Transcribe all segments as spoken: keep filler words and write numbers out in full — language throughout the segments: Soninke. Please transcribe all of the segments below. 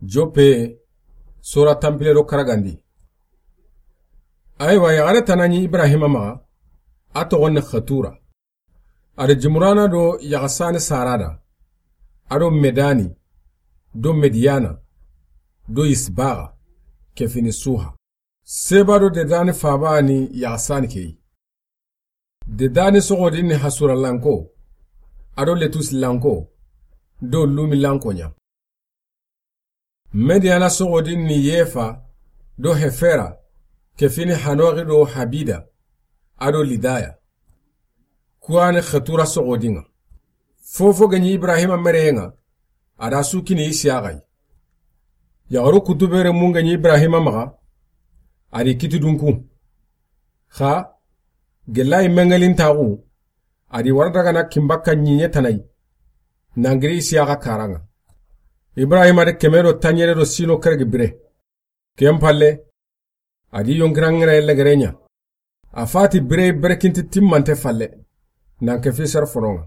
Joppe, sora tanpille do karagandi. Ayiwa, yaxare tana ɲi Ibrahima maxa, a toxon ni Xetura. A do Jimurana do yaxasani Sarada, a do Medani, do Mediyana, do Isbaxa, ke fini Suha. Seba do Dedani faba ni yaxasani ke yi. Dedani soxodin ni Hasuralanko, a do Letusilanko, do Lumilanko ɲa. Mediyana soxodin ni Yefa do Hefera, ke fini Hanoxi do Habida, a do Lidaya. Kuwani Xetura soxodin ŋa. Fofo ga ɲi Ibrahima mereyen ŋa, a da su kini Isiyaxa yi. Yaxaru kutubere mun ga ɲi Ibrahima maxa, a di kiti dunku. Xa, gelayi mengelin taxu, a di wara dagana kinbakka ɲiɲe tanayi, nangiri Isiyaxa karan ŋa. Ibrahima de keme do tanɲere do sino keregi bire. Ken palle, a di yonkiran ŋere legere ɲa. A fati bire berekinti timmante falle, nan ke fi sere fonon ŋa.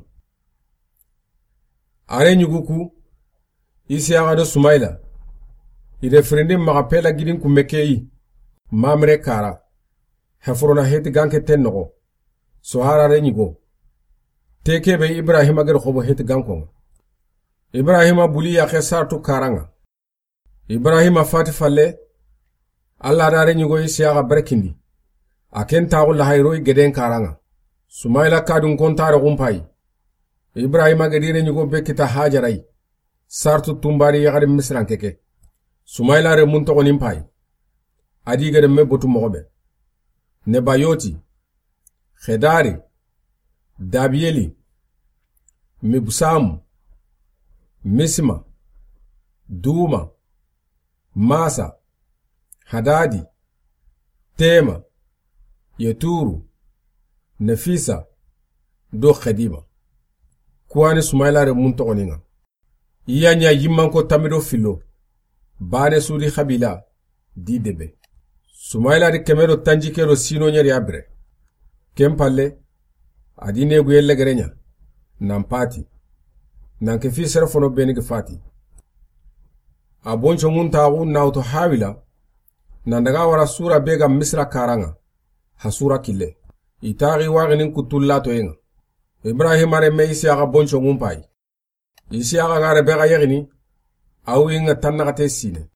A re ɲugu ku, Isiyaxa do Sumayila, i de firindi maxa pela gidin kumme ke yi, Mamre kara, Hefrona Heti ganke ten noxo, Sohara re ɲigo. Te kebe Ibrahima gede xobo Heti gankon ŋa. Ibrahima buli yaxe Saratu karan ŋa. Ibrahima fati falle, Alla da re ɲigo Isiyaxa berekindi. A ken taxu lahayiro i geden karan ŋa. Sumayila kadun kontare xunpayi. Ibrahima gedi re ɲigo be kita Hajara yi. Sartu tunbari yaxari Misiranke ke. Sumayila re mun toxonin payi. A di gede me botu moxo be. Nebayoti, Xedari, Dabiyeli, Mibsamu, Misma, Duma, Masa, Hadadi, Tema, Yeturu, Nefisa, do Xedima. Kuwani Sumayila re mun toxonin ŋa. I ya ɲa yimmanko tammi do fillo. Bane sudi xabila di debe. Sumayila di keme do tanjikke do sino ɲeri ya bire. Ken palle, a di neguye legere ɲa, nan pati. Nan ke fi sere fono beni gi fati. A bonco ŋun taxu nawuto Hawila, nan daga wara sura be ga Misira karan ŋa, Hasura kille. I taxi waxinin kuttu latoyen ŋa. Ibrahima remme Isiyaxa bonco ŋun payi. Isiyaxa ga Rebexa yexini, a wuyi ŋa tannaxate sine.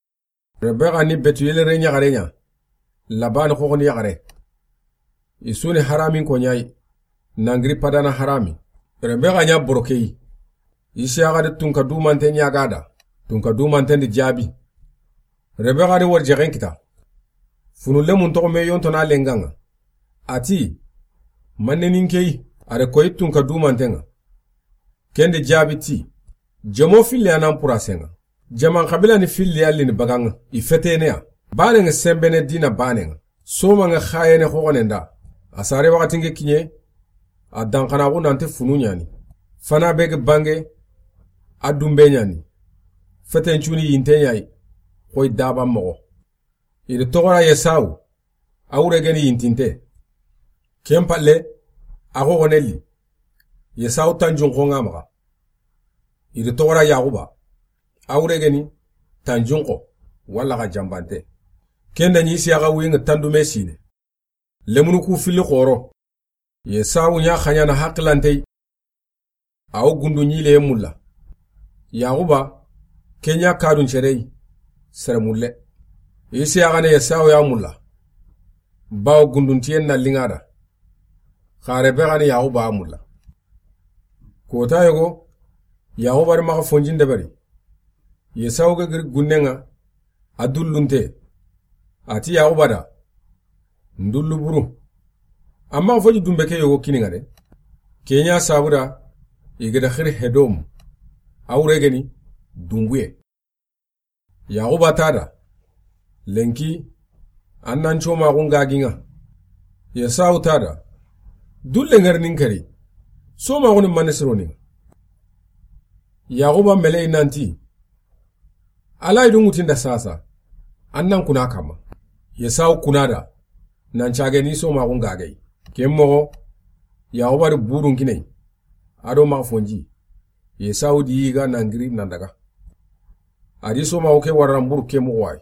Rebexa ni Betuyeli re ɲaxare ɲa, Labani xoxoni yaxare. I su ni Haramin ko ɲayi, nangiri Padana Harami. Rebexa ɲa borokeyi. Isiyaxa di tunka dumante ɲaga da, tunka dumanten di jaabi. Rebexa di wari jexen kita. Funu lemun toxo me yontona lengan ŋa. A ti, manne nin keyi, a re koyi tunka dumanten ŋa. Ken di jaabi ti, jomo filli a nan purasen ŋa. Jaman xabila ni filli a lini bagan ŋa, i fetene ya. Banen ŋa senbene dina banen ŋa. Soman ŋa xayene xoxonen da. A sare waxatin ke kiɲe, a danxanaxu nanti funu ɲani. Fana be ga bange, a dunbe ɲani. Feten cuni yinte ɲayi, xoyi daban moxo. I di toxora Yesawu, a wure geni yintinte. Ken palle, a xoxone li. Yesawu tanjunxo ŋa maxa. I di toxora Yaxuba, a wure geni tanjunxo, walla xa janbante. Ken da ɲi Isiyaxa wuyi ŋa tandume sine. Lemunu ku filli xoro. Yesawu ɲa xaɲana haqilantey. A wo gundu ɲileye mulla. Yaxuba, ke ɲa kadun cerey, sere mulle. Isiyaxa ne Yesawu ya mulla. Bawo gunduntiyen na linga da. Xa Rebexa ni Yaxuba a mulla. Kota yogo, Yaxuba di maxa fonjin deberi. Yesawu ga giri gunnen ŋa, a dullunte. A ti Yaxuba da, ndullu buru. Amma fo ji dunbe ke yogo kini ŋa de. Ke ɲa sabu da, i ga da xiri Hedom. A wure geni, dunbuye. Yaxuba ta da, lenki, an nan comaxun gagi ŋa. Yesawu ta da, dulle ŋari nin kari, somaxu ni mane sironi ŋa. Yaxuba meleyi nanti, Ala yi dungutinda sasa, an nan kuna kama. Yesawu kuna da, nan cage ni somaxun gagey. Ken moxo, Yaxuba di burun kiney, a do maxa fonji. Yesawu di yiga nan giri nan daga. A di soma o ke warana mburu ke moxo wa yi.